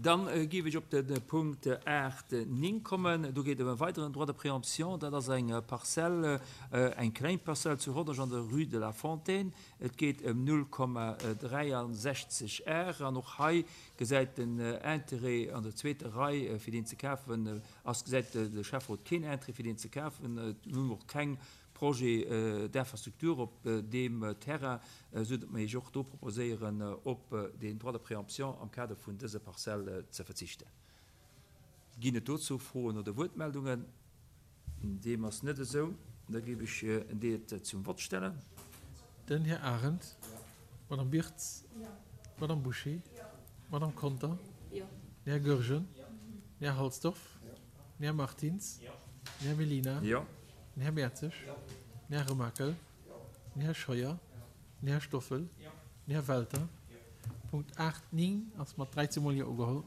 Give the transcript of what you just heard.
Dann géif ech op de Punkt 8, 9 kommen. Do geet et ëm e weideren Droit de préemption. Dat ass eng Parzell, eng kleng Parzell zu Rodange an der Rue de la Fontaine. Et geet ëm 0,63 Ar. An och hei gesäit den Interêt an der zweeter Rei, fir deen ze kafen, ass, gesäit de Schäfferot keen Interêt, fir deen ze kafen. Et hunn och keng Projet d'infrastructure op deem Terrain, esou datt mer Iech och do proposéieren, op deen Droit de préemption am Kader vun dëser Parzell ze verzichten. Ginn et dozou Froen oder Wuertmeldungen? Deem ass net esou. Da géif ech et zum Vott stellen. Den Här Arendt. D'Madame Birtz. D'Madame Bouché. D'Madame Conter. Den Här Goergen. Den Här Halsdorf. Den Här Martins. Den Här Mellina. Den Här Mertzig. Den Här Remakel. Den Här Scheuer. Den Här Stoffel. Den Här Welter. Punkt 8, 9 ass mat 13 mol Jo ugeholl.